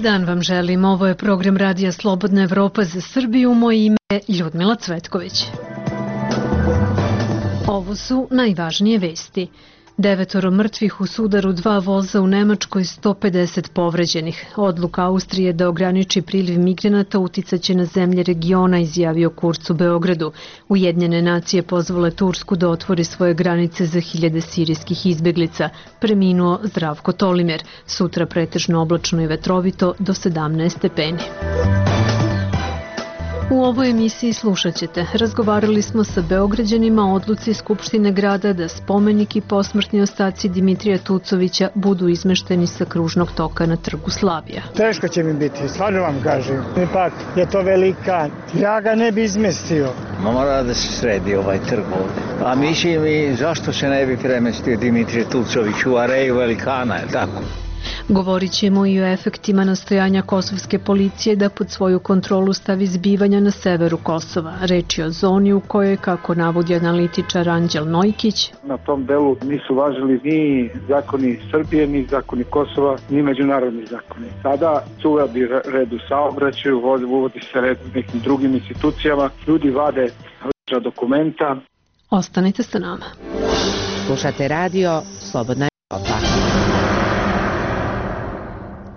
Dobar dan vam želim. Ovo je program Radija Slobodna Evropa za Srbiju. Moje ime je Ljudmila Cvetković. Ovo su najvažnije vesti. 9 mrtvih u sudaru 2 voza u Nemačkoj, 150 povređenih. Odluka Austrije da ograniči priliv migranata uticaće na zemlje regiona, izjavio Kurz u Beogradu. Ujedinjene nacije pozvale Tursku da otvori svoje granice za 1000 sirijskih izbeglica. Preminuo Zdravko Tolimer. Sutra pretežno oblačno i vetrovito do 17 stepeni. U ovoj emisiji slušat ćete. Razgovarali smo sa Beograđanima o odluci Skupštine grada da spomenik i posmrtni ostaci Dimitrija Tucovića budu izmešteni sa kružnog toka na Trgu Slavija. Teško će mi biti, stvarno vam kažem. Ipak je to velikan. Ja ga ne bi izmestio. Mora da se sredi ovaj trg ovde. A mislim i zašto se ne bi premestio Dimitrije Tucović u areju velikana, je tako? Govorit ćemo i o efektima nastojanja kosovske policije da pod svoju kontrolu stavi zbivanja na severu Kosova. Reč je o zoni u kojoj, kako navodi analitičar Anđel Nojkić, na tom delu nisu važili ni zakoni Srbije, ni zakoni Kosova, ni međunarodni zakoni. Sada se uvodi red u saobraćaju, uvodi se red u nekim drugim institucijama, ljudi vade lična dokumenta. Ostanite sa nama. Slušate radio Slobodna Evropa.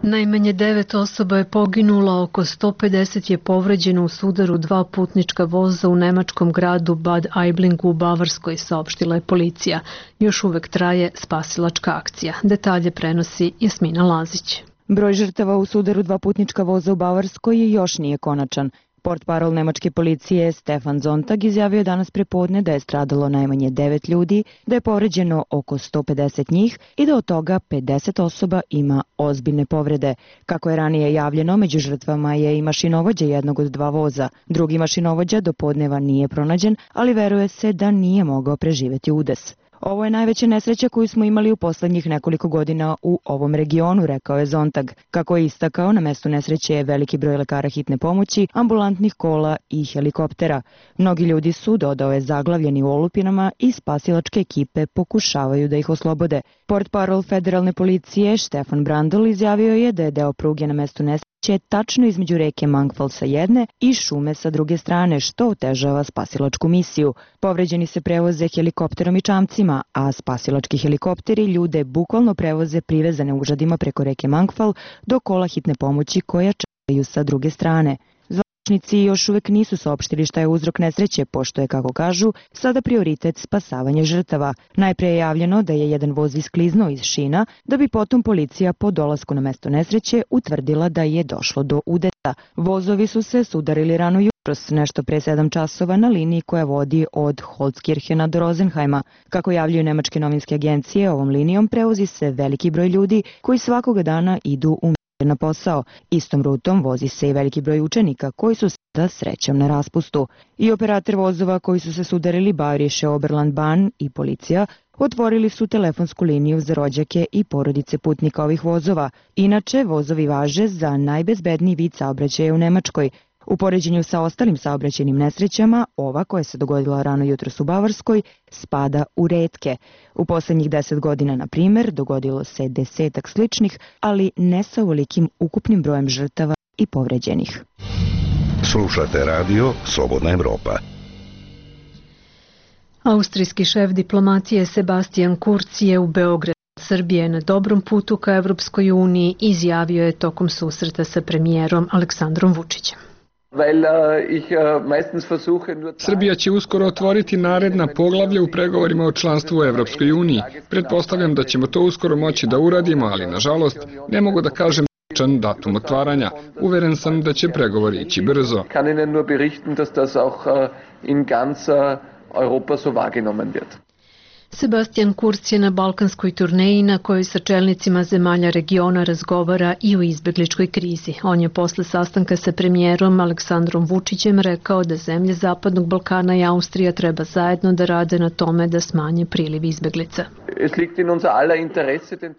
Najmanje 9 osoba je poginulo, oko 150 je povređeno u sudaru 2 putnička voza u nemačkom gradu Bad Aiblingu u Bavarskoj, saopštila je policija. Još uvek traje spasilačka akcija. Detalje prenosi Jasmina Lazić. Broj žrtava u sudaru 2 putnička voza u Bavarskoj još nije konačan. Portparol nemačke policije Stefan Zontag izjavio je danas prepodne da je stradalo najmanje 9 ljudi, da je povređeno oko 150 njih i da od toga 50 osoba ima ozbiljne povrede. Kako je ranije javljeno, među žrtvama je i mašinovođa jednog od 2 voza. Drugi mašinovođa do podneva nije pronađen, ali veruje se da nije mogao preživeti udes. Ovo je najveća nesreća koju smo imali u poslednjih nekoliko godina u ovom regionu, rekao je Zontag. Kako je istakao, na mestu nesreće je veliki broj lekara hitne pomoći, ambulantnih kola i helikoptera. Mnogi ljudi su, dodao je, zaglavljeni u olupinama i spasilačke ekipe pokušavaju da ih oslobode. Portparol federalne policije Stefan Brandl izjavio je da je deo pruge na mestu nesreće tačno između reke Mangfall sa jedne i šume sa druge strane, što otežava spasilačku misiju. Povređeni se prevoze helikopterom i čamcima, a spasilački helikopteri ljude bukvalno prevoze privezane užadima preko reke Mangfall do kola hitne pomoći koja čekaju sa druge strane. Zvaničnici još uvek nisu saopštili šta je uzrok nesreće, pošto je, kako kažu, sada prioritet spasavanje žrtava. Najpre je javljeno da je jedan voz iskliznuo iz šina, da bi potom policija po dolasku na mesto nesreće utvrdila da je došlo do udesa. Vozovi su se sudarili rano jutros, nešto pre 7 časova, na liniji koja vodi od Holzkirchena do Rosenheima. Kako javljaju nemačke novinske agencije, ovom linijom prevozi se veliki broj ljudi koji svakoga dana idu u na posao. Istom rutom vozi se i veliki broj učenika koji su sada srećom na raspustu. I operator vozova koji su se sudarili, Bayerische Oberland-Bahn i policija, otvorili su telefonsku liniju za rođake i porodice putnika ovih vozova. Inače, vozovi važe za najbezbedniji vid saobraćaja u Nemačkoj. U poređenju sa ostalim saobraćajnim nesrećama, ova koja se dogodila rano jutros u Bavarskoj spada u retke. U poslednjih 10 godina, na primer, dogodilo se 10 sličnih, ali ne sa ovolikim ukupnim brojem žrtava i povređenih. Slušate radio Slobodna Evropa. Austrijski šef diplomatije Sebastian Kurz je u Beogradu. Srbija je na dobrom putu ka Evropskoj uniji, izjavio je tokom susreta sa premijerom Aleksandrom Vučićem. Srbija će uskoro otvoriti naredna poglavlja u pregovorima o članstvu u Evropskoj uniji. Pretpostavljam da ćemo to uskoro moći da uradimo, ali nažalost ne mogu da kažem datum otvaranja. Uveren sam da će pregovori ići brzo. Sebastian Kurz je na balkanskoj turneji na kojoj sa čelnicima zemalja regiona razgovara i o izbegličkoj krizi. On je posle sastanka sa premijerom Aleksandrom Vučićem rekao da zemlje Zapadnog Balkana i Austrija treba zajedno da rade na tome da smanje priliv izbeglica.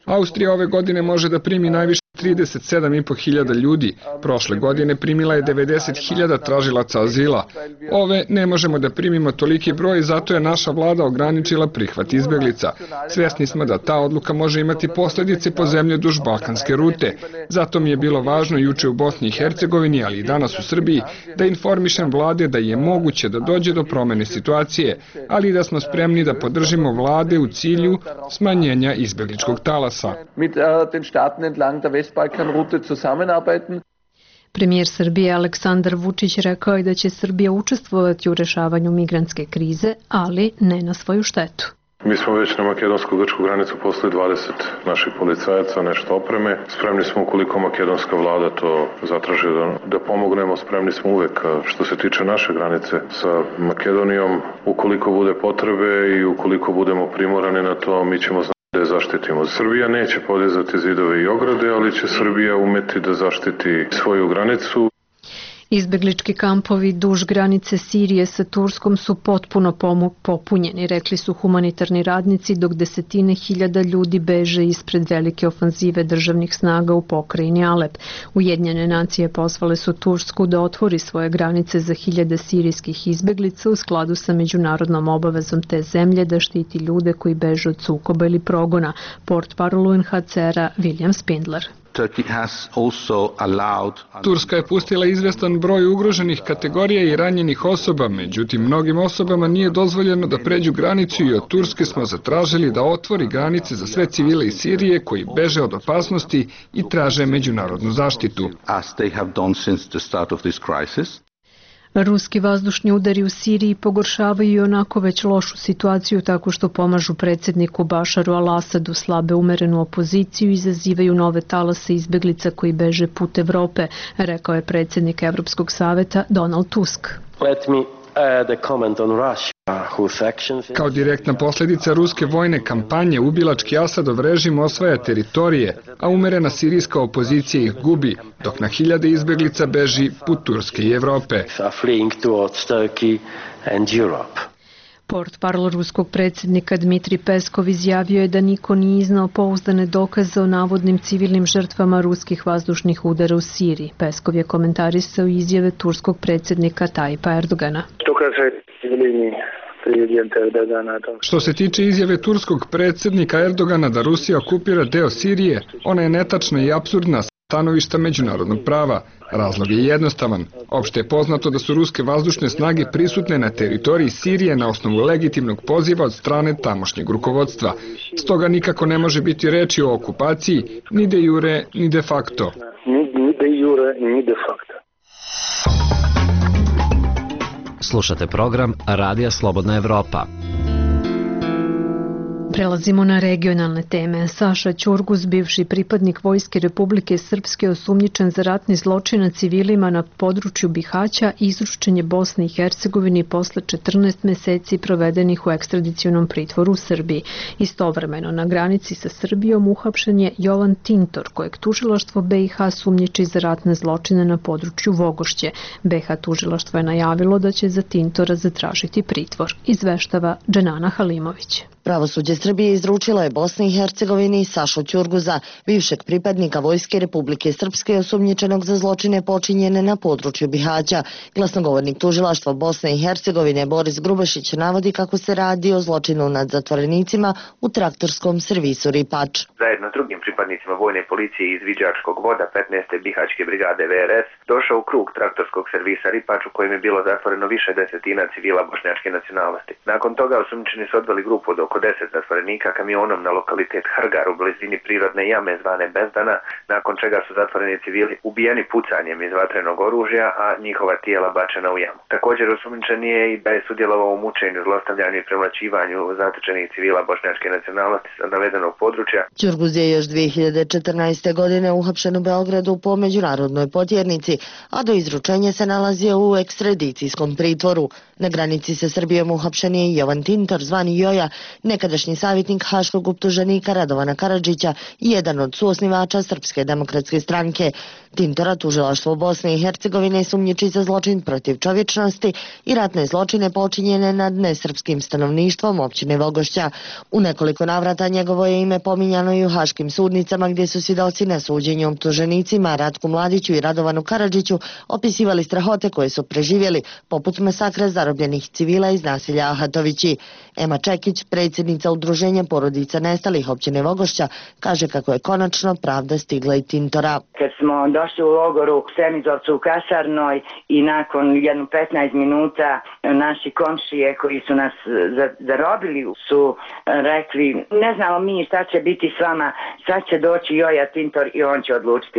Austrija ove godine može da primi najviše 37.500 ljudi. Prošle godine primila je 90.000 tražilaca azila. Ove ne možemo da primimo toliki broj, zato je naša vlada ograničila prihvat izbeglica. Svesni smo da ta odluka može imati posljedice po zemlje duž balkanske rute. Zato mi je bilo važno juče u Bosni i Hercegovini, ali i danas u Srbiji, da informišem vlade da je moguće da dođe do promene situacije, ali i da smo spremni da podržimo vlade u cilju smanjenja izbegličkog talasa. Premijer Srbije Aleksandar Vučić rekao je da će Srbija učestvovati u rešavanju migrantske krize, ali ne na svoju štetu. Mi smo već na makedonsko-grčku granicu poslali 20 naših policajaca, nešto opreme. Spremni smo ukoliko makedonska vlada to zatraži da pomognemo, spremni smo uvek što se tiče naše granice sa Makedonijom. Ukoliko bude potrebe i ukoliko budemo primorani na to, mi ćemo da je zaštitimo. Srbija neće podizati zidove i ograde, ali će Srbija umeti da zaštiti svoju granicu. Izbeglički kampovi duž granice Sirije sa Turskom su potpuno popunjeni, rekli su humanitarni radnici, dok desetine hiljada ljudi beže ispred velike ofanzive državnih snaga u pokrajini Alep. Ujedinjene nacije pozvale su Tursku da otvori svoje granice za hiljade sirijskih izbeglica u skladu sa međunarodnom obavezom te zemlje da štiti ljude koji beže od sukoba ili progona. Portparol UNHCR-a William Spindler. Turska je pustila izvestan broj ugroženih kategorija i ranjenih osoba, međutim mnogim osobama nije dozvoljeno da pređu granicu i od Turske smo zatražili da otvori granice za sve civile iz Sirije koji beže od opasnosti i traže međunarodnu zaštitu. Ruski vazdušni udari u Siriji pogoršavaju i onako već lošu situaciju tako što pomažu predsjedniku Bašaru al-Asadu, slabe umerenu opoziciju i izazivaju nove talase izbeglica koji beže put Evrope, rekao je predsjednik Evropskog saveta Donald Tusk. Kao direktna posljedica ruske vojne kampanje, ubilački Asadov režim osvaja teritorije, a umerena sirijska opozicija ih gubi, dok na hiljade izbeglica beži put Turske i Evrope. Portparol ruskog predsjednika Dmitri Peskov izjavio je da niko nije iznao pouzdane dokaze o navodnim civilnim žrtvama ruskih vazdušnih udara u Siriji. Peskov je komentarisao izjave turskog predsjednika Tajpa Erdogana. Što se tiče izjave turskog predsjednika Erdogana da Rusija okupira deo Sirije, ona je netačna i apsurdna sa stanovišta međunarodnog prava. Razlog je jednostavan. Opšte je poznato da su ruske vazdušne snage prisutne na teritoriji Sirije na osnovu legitimnog poziva od strane tamošnjeg rukovodstva. Stoga nikako ne može biti reči o okupaciji, ni de jure, ni de facto. Slušate program Radija Slobodna Evropa. Prelazimo na regionalne teme. Saša Ćurgus, bivši pripadnik Vojske Republike Srpske, osumnjičen za ratni zločin nad civilima na području Bihaća, izručen je Bosni i Hercegovini posle 14 meseci provedenih u ekstradicionom pritvoru u Srbiji. Istovremeno na granici sa Srbijom uhapšen je Jovan Tintor, kojeg tužilaštvo BiH sumnjiči za ratne zločine na području Vogošće. BiH tužilaštvo je najavilo da će za Tintora zatražiti pritvor. Izveštava Dženana Halimović. Pravosuđe Srbije izručilo je Bosni i Hercegovini Sašu Ćurguza, bivšeg pripadnika Vojske Republike Srpske osumnjičenog za zločine počinjene na području Bihaća. Glasnogovornik tužilaštva Bosne i Hercegovine Boris Grubašić navodi kako se radi o zločinu nad zatvorenicima u traktorskom servisu Ripač. Zajedno s drugim pripadnicima vojne policije iz Viđačkog voda 15. Bihaćke brigade VRS došao u krug traktorskog servisa Ripač u kojem je bilo zatvoreno više desetina civila bošnjačke nacionalnosti. Nakon toga osumnjičeni su odveli grupu od oko 10 zatvorenika kamionom na lokalitet Hrgar u blizini prirodne jame zvane Bezdana, nakon čega su zatvoreni civili ubijeni pucanjem iz vatrenog oružja, a njihova tijela bačena u jamu. Također osumnjičen je i da je sudjelovao u mučenju, zlostavljanju i premlaćivanju zatečenih civila bošnjačke nacionalnosti sa navedenog područja. Ćurguz je još 2014. godine uhapšen u Beogradu po međunarodnoj potjernici, a do izručenja se nalazio u ekstradicijskom pritvoru. Na granici sa Srbijom uhapšen je Jovan Tintor, zvani Joja, nekadašnji savjetnik haškog optuženika Radovana Karadžića i jedan od suosnivača Srpske demokratske stranke. Tintora tužilaštvo Bosne i Hercegovine sumnjiči za zločin protiv čovječnosti i ratne zločine počinjene nad nesrpskim stanovništvom općine Vogošća. U nekoliko navrata njegovo je ime pominjano i u haškim sudnicama gdje su svjedoci na suđenju optuženicima Ratku Mladiću i Radovanu Karadžiću opisivali strahote koje su preživjeli, poput masakra zarobljenih civila iz naselja Ahatovići. Ema Čekić, predsjednica udruženja porodica nestalih općine Vogošća, kaže kako je konačno pravda stigla i Tintora. Kad smo došli u logoru u Semizovcu u kasarnoj i nakon jedno 15 minuta naši komšije koji su nas zarobili su rekli ne znamo mi šta će biti s vama, sad će doći Joja Tintor i on će odlučiti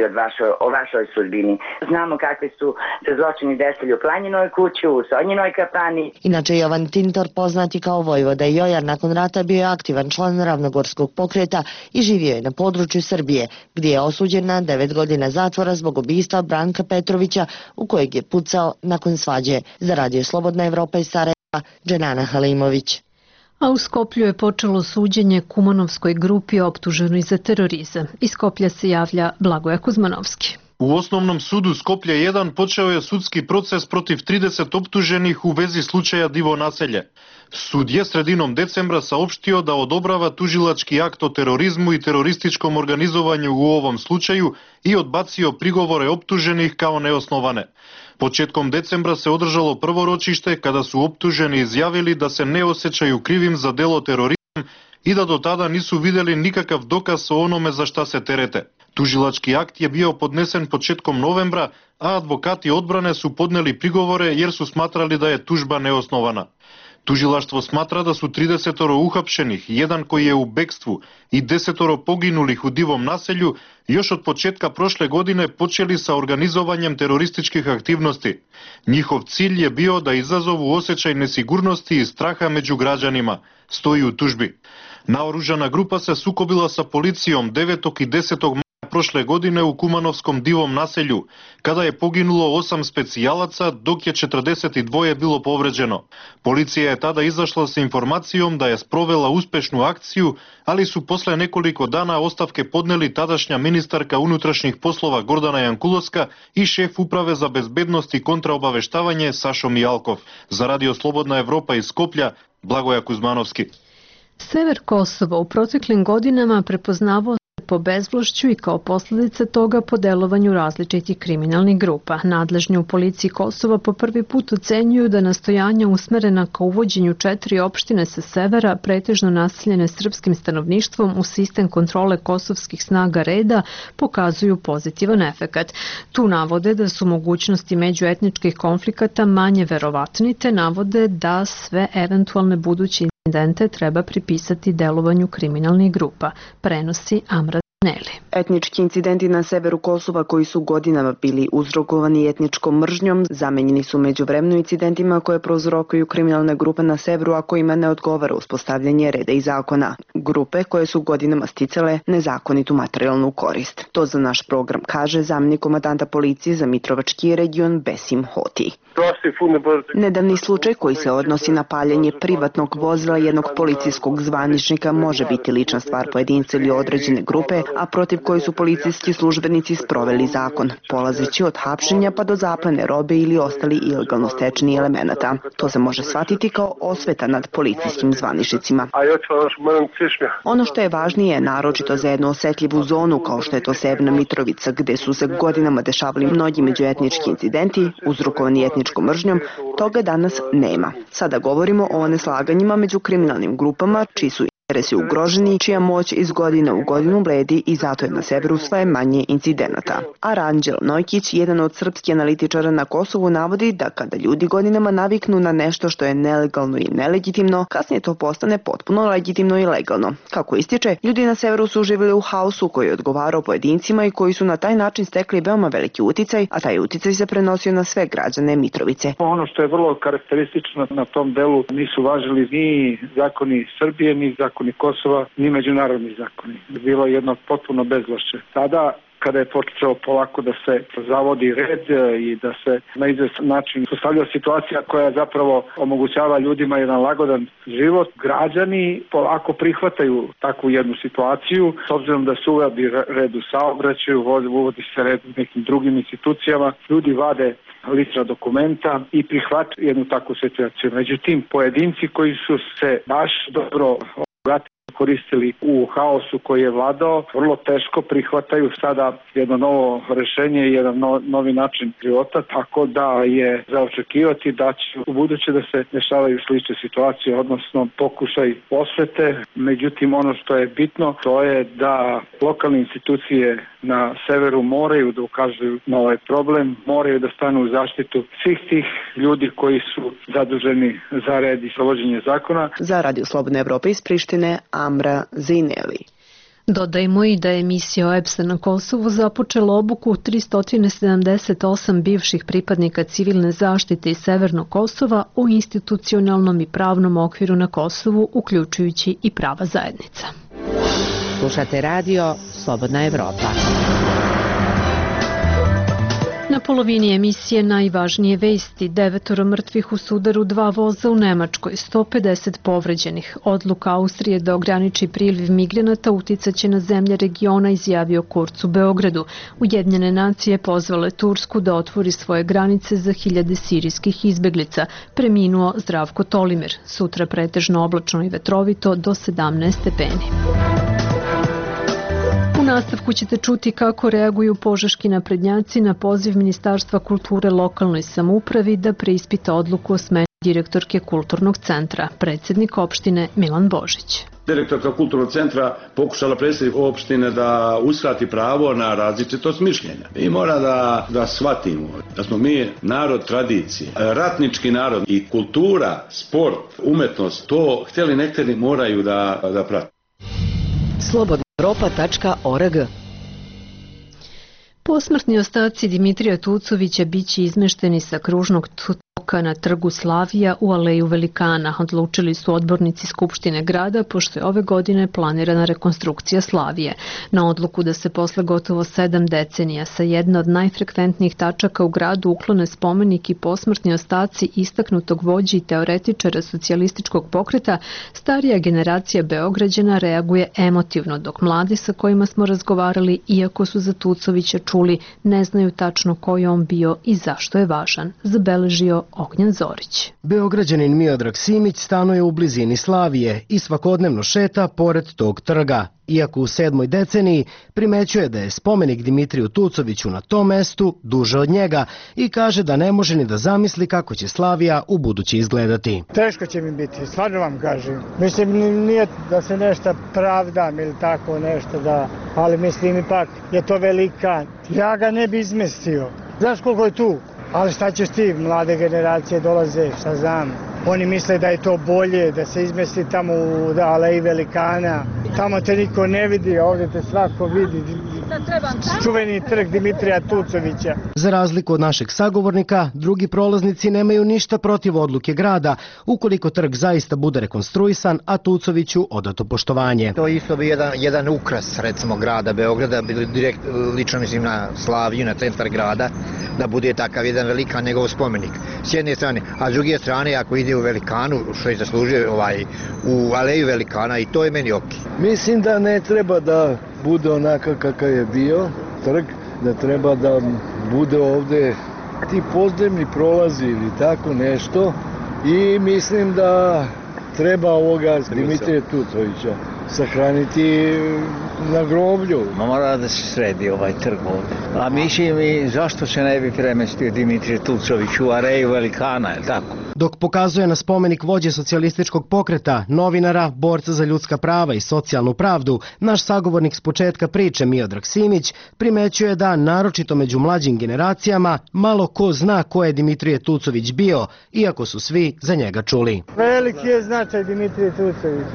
o vašoj sudbini. Znamo kakvi su se zločini desili u Planjinoj kući, u Sonjinoj kafani. Inače Jovan Tintor, poznati kao Vojvoda Joja, nakon rata bio je aktivan član Ravnogorskog pokreta i živio je na području Srbije, gdje je osuđen na 9 godina zatvora zbog ubistva Branka Petrovića u kojeg je pucao nakon svađe. Za Radio Slobodna Evropa iz Sarajeva, Dženana Halimović. A u Skoplju je počelo suđenje Kumanovskoj grupi optuženoj za terorizam. Iz Skoplja se javlja Blagoje Kuzmanovski. U Osnovnom sudu Skoplja 1 počeo je sudski proces protiv 30 optuženih u vezi slučaja Divo naselje. Sud je sredinom decembra saopštio da odobrava tužilački akt o terorizmu i terorističkom organizovanju u ovom slučaju i odbacio prigovore optuženih kao neosnovane. Početkom decembra se održalo prvo ročište kada su optuženi izjavili da se ne osjećaju krivim za delo terorizam i da do tada nisu vidjeli nikakav dokaz o onome za šta se terete. Tužilački akt je bio podnesen početkom novembra, a advokati odbrane su podneli prigovore jer su smatrali da je tužba neosnovana. Tužilaštvo smatra da su 30 uhapšenih, jedan koji je u bekstvu i 10 poginulih u Divom naselju još od početka prošle godine počeli sa organizovanjem terorističkih aktivnosti. Njihov cilj je bio da izazovu osjećaj nesigurnosti i straha među građanima, stoji u tužbi. Naoružana grupa se sukobila sa policijom 9. i 10. maja prošle godine u Kumanovskom Divom naselju, kada je poginulo 8 specijalaca, dok je 42 bilo povređeno. Policija je tada izašla sa informacijom da je sprovela uspešnu akciju, ali su posle nekoliko dana ostavke podneli tadašnja ministarka unutrašnjih poslova Gordana Jankulovska i šef uprave za bezbednost i kontraobaveštavanje Sašo Mijalkov. Za Radio Slobodna Evropa iz Skoplja, Blagoja Kuzmanovski. Sever Kosova u proteklim godinama prepoznavao po bezvlašću i kao posljedica toga po delovanju različitih kriminalnih grupa. Nadležni u policiji Kosova po prvi put ocenjuju da nastojanja usmerena ka uvođenju 4 opštine sa severa, pretežno naseljene srpskim stanovništvom u sistem kontrole kosovskih snaga reda, pokazuju pozitivan efekat. Tu navode da su mogućnosti međuetničkih konflikata manje verovatni, te navode da sve eventualne buduće incidente treba pripisati delovanju kriminalnih grupa, prenosi Amra Neli. Etnički incidenti na severu Kosova koji su godinama bili uzrokovani etničkom mržnjom zamenjeni su međuvremeno incidentima koje prouzrokuju kriminalne grupe na severu, a kojima ne odgovara uspostavljanje reda i zakona. Grupe koje su godinama sticale nezakonitu materijalnu korist. To za naš program kaže zamjenik komandanta policije za Mitrovački region Besim Hoti. Nedavni slučaj koji se odnosi na paljenje privatnog vozila jednog policijskog zvaničnika može biti lična stvar pojedinca ili određene grupe, a protiv koji su policijski službenici sproveli zakon, polazeći od hapšenja pa do zaplene robe ili ostali ilegalno stečeni elemenata. To se može shvatiti kao osveta nad policijskim zvaničnicima. Ono što je važnije, naročito za jednu osetljivu zonu kao što je to Severna Mitrovica, gde su se godinama dešavali mnogi međuetnički incidenti uzrokovani etničkom mržnjom, toga danas nema. Sada govorimo o neslaganjima među kriminalnim grupama, čiji su interesi ugroženi, čija moć iz godine u godinu bledi i zato je na severu sve manje incidenata. Aranđel Nojkić, jedan od srpskih analitičara na Kosovu, navodi da kada ljudi godinama naviknu na nešto što je nelegalno i nelegitimno, kasnije to postane potpuno legitimno i legalno. Kako ističe, ljudi na severu su živjeli u haosu koji je odgovarao pojedincima i koji su na taj način stekli veoma veliki uticaj, a taj uticaj se prenosio na sve građane Mitrovice. Ono što je vrlo karakteristično na tom delu, nisu važili ni zakoni Srbije, ni zakoni Kosova, ni međunarodni zakoni. Bilo je jedno potpuno bezvlašće. Sada kada je počeo polako da se zavodi red i da se na izvestan način postavlja situacija koja zapravo omogućava ljudima jedan lagodan život, građani polako prihvataju takvu jednu situaciju, s obzirom da se uvodi red u saobraćaju, uvodi se red u nekim drugim institucijama, ljudi vade lična dokumenta i prihvataju jednu takvu situaciju. Međutim, pojedinci koji su se baš dobro koristili u haosu koji je vladao, vrlo teško prihvataju sada jedno novo rešenje i jedan novi način života, tako da je za očekivati da će u buduće da se dešavaju slične situacije, odnosno pokušaj osvete. Međutim, ono što je bitno, to je da lokalne institucije na severu moraju da ukazuju na ovaj problem, moraju da stanu u zaštitu svih tih ljudi koji su zaduženi za red i sprovođenje zakona. Za Radio Slobodna Evropa iz Prištine, Amra Zineli. Dodajmo i da je misija OEBS-a na Kosovu započela obuku 378 bivših pripadnika civilne zaštite iz Severnog Kosova u institucionalnom i pravnom okviru na Kosovu, uključujući i prava zajednica. Slušate radio Slobodna Evropa. Na polovini emisije najvažnije vesti: 9 mrtvih u sudaru 2 voza u Nemačkoj, 150 povređenih. Odluka Austrije da ograniči priliv migranata uticaće na zemlje regiona, izjavio Kurz u Beogradu. Ujedinjene nacije pozvale Tursku da otvori svoje granice za hiljade sirijskih izbeglica. Preminuo Zdravko Tolimir. Sutra pretežno oblačno i vetrovito do 17 stepeni. U nastavku ćete čuti kako reaguju požeški naprednjaci na poziv Ministarstva kulture lokalnoj samoupravi da preispita odluku o smeni direktorke Kulturnog centra. Predsjednik opštine Milan Božić. Direktorka Kulturnog centra pokušala predstaviti opštine da uskrati pravo na različitost mišljenja. I mora da shvatimo da smo mi narod tradicije, ratnički narod i kultura, sport, umetnost, to htjeli ne htjeli moraju da prate. Slobodnaevropa.org. Posmrtni ostaci Dimitrija Tucovića biće izmešteni sa kružnog toka na trgu Slavija u Aleju Velikana, odlučili su odbornici Skupštine grada, pošto je ove godine planirana rekonstrukcija Slavije. Na odluku da se posle gotovo 7 decenija sa jedna od najfrekventnijih tačaka u gradu uklone spomenik i posmrtni ostaci istaknutog vođe i teoretičara socijalističkog pokreta, starija generacija Beograđana reaguje emotivno, dok mladi sa kojima smo razgovarali, iako su za Tucovića čuli, ne znaju tačno ko je on bio i zašto je važan, zabeležio Ognjen Zorić. Beograđanin Miodrag Simić stanuje u blizini Slavije i svakodnevno šeta pored tog trga. Iako u 7. deceniji primećuje da je spomenik Dimitriju Tucoviću na tom mestu duže od njega i kaže da ne može ni da zamisli kako će Slavija u budući izgledati. Teško će mi biti, stvarno vam kažem. Mislim, nije da se nešto pravdam ili tako nešto, ali mislim ipak je to velikan. Ja ga ne bi izmestio. Znaš koliko je tu? Ali šta ćeš ti, mlade generacije dolaze, šta znam. Oni misle da je to bolje, da se izmesti tamo u Aleji Velikana. Tamo te niko ne vidi, a ovdje te svako vidi. Čuveni trg Dimitrija Tucovića. Za razliku od našeg sagovornika, drugi prolaznici nemaju ništa protiv odluke grada, ukoliko trg zaista bude rekonstruisan, a Tucoviću odato poštovanje. To isto bi jedan ukras, recimo, grada Beograda, direkt lično mislim na Slaviju, na centar grada, da bude takav jedan velikan njegov spomenik. S jedne strane, a s druge strane, ako ide u Velikanu, što je zaslužio u Aleju Velikana, i to je meni okej. Mislim da ne treba da bude onakav kakav je bio trg, da treba da bude ovde ti podzemni prolazi ili tako nešto, i mislim da treba ovoga Dimitrija Tucovića sahraniti na groblju. Mora da se sredi ovaj trg ovde. A mislim, zašto se ne bi premestio Dimitrije Tucović u Aleju Velikana, je tako? Dok pokazuje na spomenik vođe socijalističkog pokreta, novinara, borca za ljudska prava i socijalnu pravdu, naš sagovornik s početka priče Miodrag Simić primećuje da, naročito među mlađim generacijama, malo ko zna ko je Dimitrije Tucović bio, iako su svi za njega čuli. Veliki je značaj Dimitrije Tucović.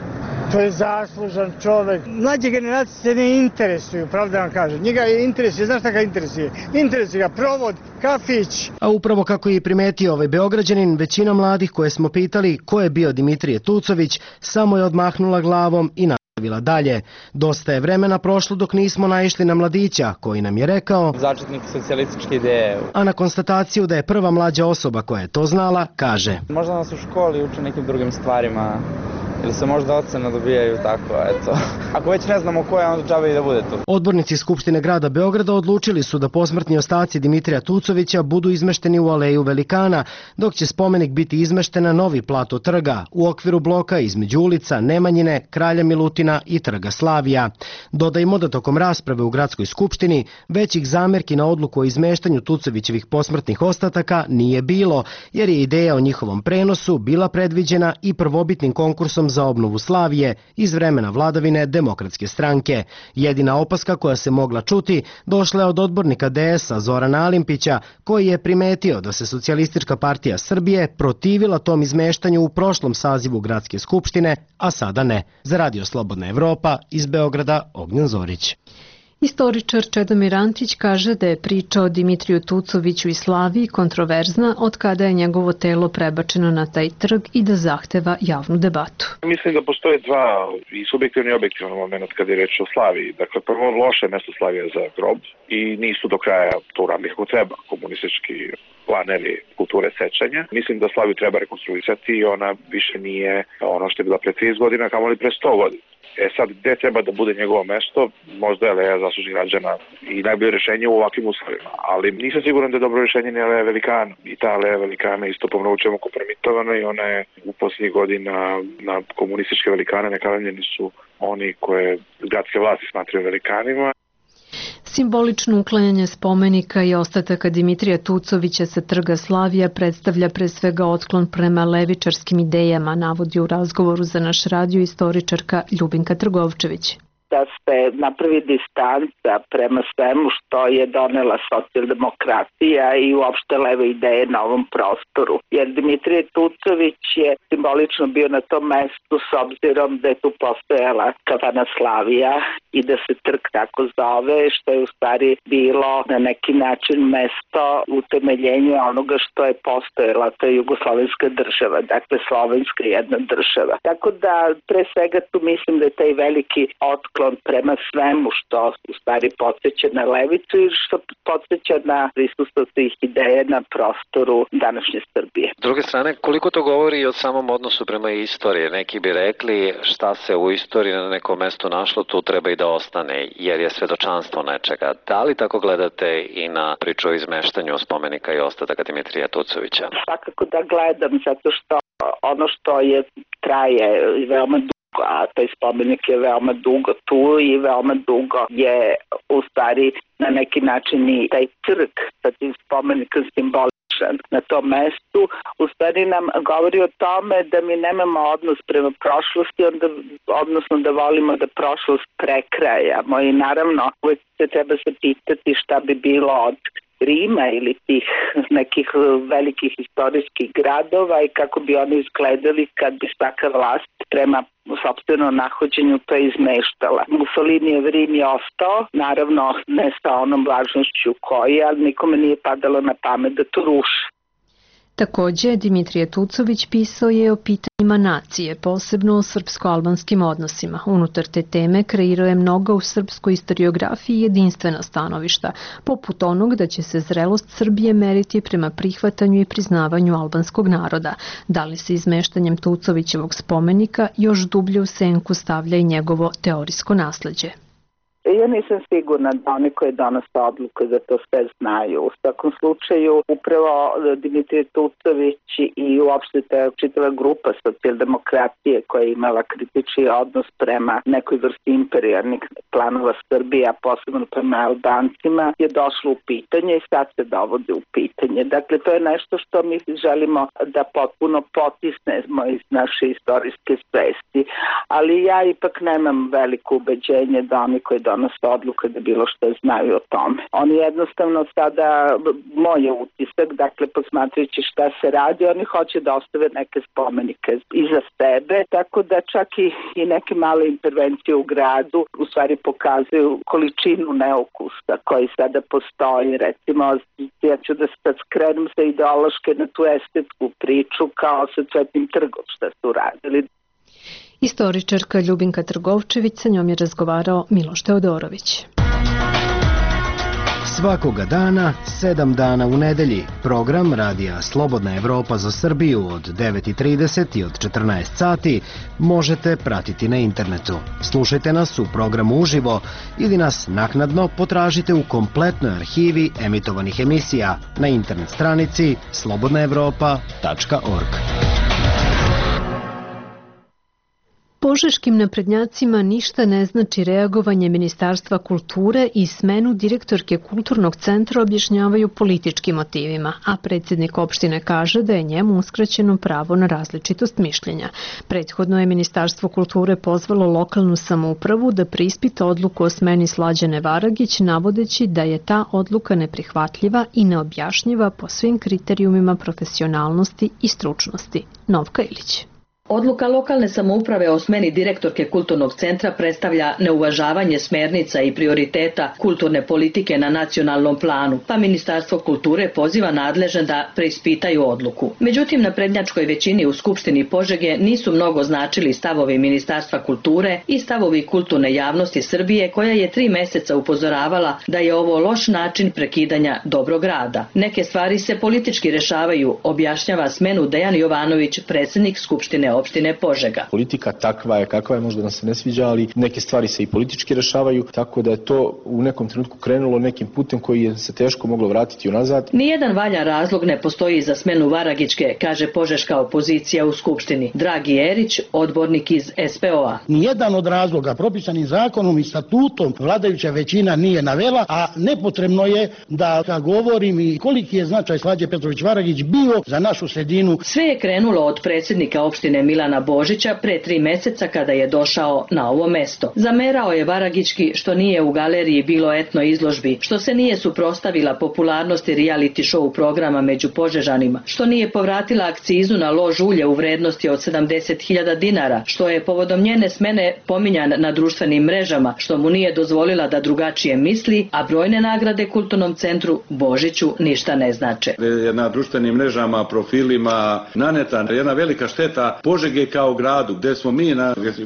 To je zaslužan čovek. Mlađe generacije se ne interesuju, pravda vam kažem. Njega je interesuje, znaš šta ga interesuje? Interesuje ga provod, kafić. A upravo kako je primetio ovaj Beograđanin, većina mladih koje smo pitali ko je bio Dimitrije Tucović, samo je odmahnula glavom i nastavila nastavila dalje. Dosta je vremena prošlo dok nismo naišli na mladića koji nam je rekao začetnik socijalističke ideje. A na konstataciju da je prva mlađa osoba koja je to znala, kaže: Možda nas u školi uče nekim drugim stvarima ili se možda ocene dobijaju tako, eto. Ako već ne znamo ko je, onda džabe i da bude tu. Odbornici Skupštine grada Beograda odlučili su da posmrtni ostaci Dimitrija Tucovića budu izmešteni u aleju Velikana, dok će spomenik biti izmešten na novi plato trga u okviru bloka između ulica Nemanjine, Kralja Milutina i Trga Slavija. Dodajmo da tokom rasprave u gradskoj skupštini većih zamerki na odluku o izmeštanju Tucovićevih posmrtnih ostataka nije bilo, jer je ideja o njihovom prenosu bila predviđena i prvobitnim konkursom za obnovu Slavije iz vremena vladavine Demokratske stranke. Jedina opaska koja se mogla čuti došla je od odbornika DS-a Zorana Alimpića, koji je primetio da se Socijalistička partija Srbije protivila tom izmeštanju u prošlom sazivu gradske skupštine, a sada ne. Za Radio Slobodna Evropa iz Beograda, Ognjen Zorić. Istoričar Čedomir Antić kaže da je priča o Dimitriju Tucoviću i Slaviji kontroverzna od kada je njegovo telo prebačeno na taj trg i da zahteva javnu debatu. Mislim da postoje dva i subjektivni i objektivni moment kada je reč o Slaviji. Dakle, prvo loše mesto Slavija za grob i nisu do kraja to uradili kako treba komunistički planevi kulture sećanja. Mislim da Slaviju treba rekonstruisati i ona više nije ono što je bila pre 30 godina, kamoli pre 100 godina. Sad, gde treba da bude njegovo mesto, možda je Aleja zaslužnih građana i najbolje rešenje u ovakvim uslovima, ali nisam siguran da je dobro rešenje ni Aleja Velikana. I ta Aleja Velikana isto pomnovućemo kompromitovana i ona je u posljednjih godina na komunističke velikane nekavanjeni su oni koje gradske vlasti smatraju velikanima. Simbolično uklanjanje spomenika i ostataka Dimitrija Tucovića sa Trga Slavija predstavlja pre svega otklon prema levičarskim idejama, navodi u razgovoru za naš radio istoričarka Ljubinka Trgovčević. Da se napravi distanca prema svemu što je donela socijaldemokratija i uopšte leve ideje na ovom prostoru. Jer Dimitrije Tucović je simbolično bio na tom mestu s obzirom da je tu postojala kafana Slavija i da se trg tako zove, što je u stvari bilo na neki način mesto utemeljenja onoga što je postojala, to je jugoslovenska država, dakle slovenska jedna država. Tako da pre svega tu mislim da je taj veliki otklon prema svemu što u stvari podsjeća na levicu i što podsjeća na prisustvo tih ideja na prostoru današnje Srbije. S druge strane, koliko to govori i o samom odnosu prema istoriji? Neki bi rekli šta se u istoriji na nekom mestu našlo, tu treba i da ostane, jer je svedočanstvo nečega. Da li tako gledate i na priču o izmeštanju spomenika i ostataka Dimitrija Tucovića? Svakako da gledam, zato što ono što je traje veoma dugo, a taj spomenik je veoma dugo tu i veoma dugo je u stvari na neki način i taj trg sa tim spomenikom simboličan na tom mestu, u stvari nam govori o tome da mi nemamo odnos prema prošlosti, odnosno da volimo da prošlost prekrajamo i naravno uvijek se treba zapitati šta bi bilo od Rima ili tih nekih velikih istorijskih gradova i kako bi oni izgledali kad bi svaka vlast prema sopstvenom nahođenju to izmeštala. Mussolinijev Rim je ostao, naravno ne sa onom važnošću koji, ali nikome nije padalo na pamet da to ruši. Takođe, Dimitrije Tucović pisao je o pitanjima nacije, posebno o srpsko-albanskim odnosima. Unutar te teme kreirao je mnoga u srpskoj istoriografiji jedinstvena stanovišta, poput onog da će se zrelost Srbije meriti prema prihvatanju i priznavanju albanskog naroda. Da li se izmeštanjem Tucovićevog spomenika još dublje u senku stavlja i njegovo teorijsko nasleđe? Ja nisam sigurna da oni koji donose odluke da to sve znaju. U svakom slučaju, upravo Dimitrije Tucović i uopšte ta čitava grupa socijaldemokratije koja je imala kritični odnos prema nekoj vrsti imperijalnih planova Srbije, a posebno prema Albancima, je došlo u pitanje i sad se dovode u pitanje. Dakle, to je nešto što mi želimo da potpuno potisnemo iz naše istorijske svesti. Ali ja ipak nemam veliko ubeđenje da oni koji donose odluke da bilo što znaju o tome. Oni jednostavno sada, moj je utisak, dakle posmatrajući šta se radi, oni hoće da ostave neke spomenike iza sebe, tako da čak i neke male intervencije u gradu u stvari pokazuju količinu neukusa koji sada postoji. Recimo, ja ću da sad skrenem sa ideološke na tu estetsku priču kao sa Cvetnim trgom šta su radili. Istoričarka Ljubinka Trgovčević, sa njom je razgovarao Miloš Teodorović. Svakoga dana, 7 dana u nedelji, program Radija Slobodna Evropa za Srbiju od 9:30 i od 14 sati možete pratiti na internetu. Slušajte nas u programu uživo ili nas naknadno potražite u kompletnoj arhivi emitovanih emisija na internet stranici slobodnaevropa.org. Požeškim naprednjacima ništa ne znači reagovanje Ministarstva kulture i smenu direktorke Kulturnog centra objašnjavaju političkim motivima, a predsjednik opštine kaže da je njemu uskraćeno pravo na različitost mišljenja. Prethodno je Ministarstvo kulture pozvalo lokalnu samoupravu da preispita odluku o smeni Slađane Varagić, navodeći da je ta odluka neprihvatljiva i neobjašnjiva po svim kriterijumima profesionalnosti i stručnosti. Novka Ilić. Odluka lokalne samouprave o smeni direktorke Kulturnog centra predstavlja neuvažavanje smernica i prioriteta kulturne politike na nacionalnom planu, pa Ministarstvo kulture poziva nadležne da preispitaju odluku. Međutim, na prednjačkoj većini u Skupštini Požege nisu mnogo značili stavovi Ministarstva kulture i stavovi kulturne javnosti Srbije, koja je 3 meseca upozoravala da je ovo loš način prekidanja dobrog rada. Neke stvari se politički rešavaju, objašnjava smenu Dejan Jovanović, predsjednik Skupštine opštine Požega. Politika takva je kakva je, možda nam se ne sviđa, ali neke stvari se i politički rešavaju, tako da je to u nekom trenutku krenulo nekim putem koji je se teško moglo vratiti unazad. Nijedan valjan razlog ne postoji za smenu Varagićke, kaže požeška opozicija u Skupštini. Dragi Erić, odbornik iz SPO-a. Nijedan od razloga propisanim zakonom i statutom vladajuća većina nije navela, a nepotrebno je da govorim i koliki je značaj Slađe Petrović Varagić bio za našu sredinu. Sve je krenulo od predsjednika opštine Milana Božića pre 3 meseca kada je došao na ovo mesto. Zamerao je Varagićki što nije u galeriji bilo etno izložbi, što se nije suprotstavila popularnosti reality show programa među Požežanima, što nije povratila akcizu na lož ulje u vrednosti od 70.000 dinara, što je povodom njene smene pominjan na društvenim mrežama, što mu nije dozvolila da drugačije misli, a brojne nagrade Kulturnom centru Božiću ništa ne znače. Na društvenim mrežama, profilima naneta jedna velika šteta Požege kao gradu, gde smo mi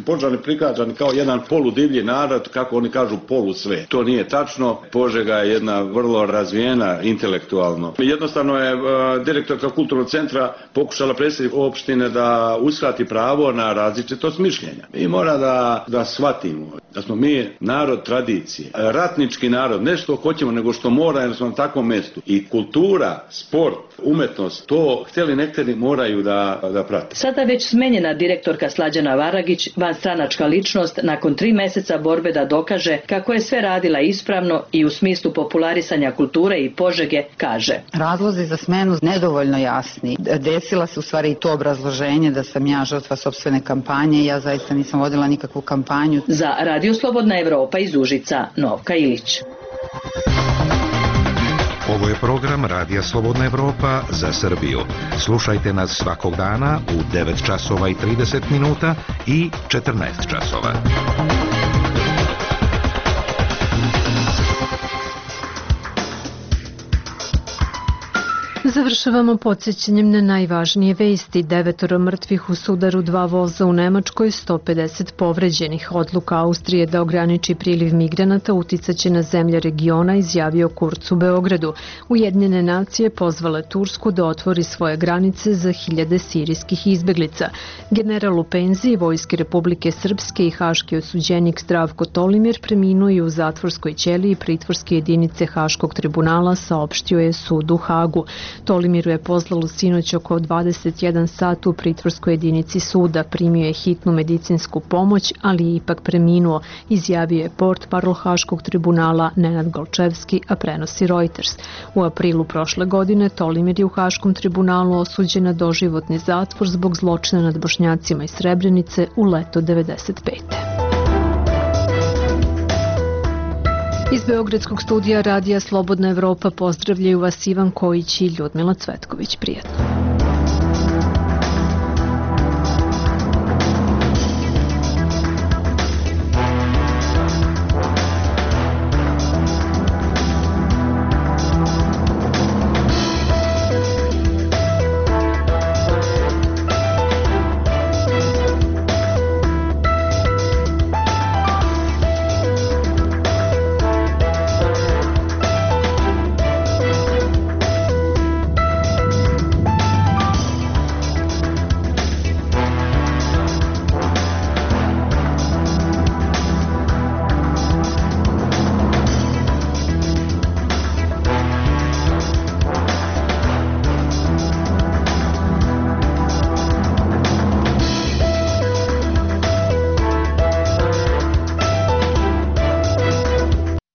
Požani prikazani kao jedan poludivlji narod, kako oni kažu polusvet. To nije tačno. Požega je jedna vrlo razvijena intelektualno. Jednostavno je direktorka Kulturnog centra pokušala predsjednik opštine da uskrati pravo na različitost mišljenja. I mora da shvatimo da smo mi narod tradicije, ratnički narod, ne što hoćemo, nego što mora, jer smo na takvom mestu. I kultura, sport, umetnost, to htjeli nekteri moraju da prate. Sada već smenjena direktorka Slađana Varagić, vanstranačka ličnost, nakon 3 meseca borbe da dokaže kako je sve radila ispravno i u smislu popularisanja kulture i Požege, kaže. Razlozi za smenu nedovoljno jasni. Desila se u stvari i to obrazloženje da sam ja žrtva sopstvene kampanje, ja zaista nisam vodila nikakvu kampanju. Za Radio Slobodna Evropa iz Užica, Novka Ilić. Ovo je program Radija Slobodna Evropa za Srbiju. Slušajte nas svakog dana u 9 časova i 30 minuta i 14 časova. Završavamo podsjećanjem na najvažnije vesti. 9 mrtvih u sudaru 2 voza u Nemačkoj, 150 povređenih. Odluka Austrije da ograniči priliv migranata uticaće na zemlje regiona, izjavio Kurz u Beogradu. Ujedinjene nacije pozvale Tursku da otvori svoje granice za 1000 sirijskih izbeglica. General u penziji Vojske Republike Srpske i haški osuđenik Zdravko Tolimir preminuo je u zatvorskoj ćeliji pritvorske jedinice Haškog tribunala, saopštio je sud u Hagu. Tolimiru je pozlalo sinoć oko 21 sat u pritvorskoj jedinici suda. Primio je hitnu medicinsku pomoć, ali je ipak preminuo, izjavio je portparol Haškog tribunala Nenad Golčevski, a prenosi Reuters. U aprilu prošle godine Tolimir je u Haškom tribunalu osuđen na doživotni zatvor zbog zločina nad Bošnjacima iz Srebrenice u leto 95. Iz Beogradskog studija Radija Slobodna Evropa pozdravljaju vas Ivan Kojić i Ljudmila Cvetković. Prijetno.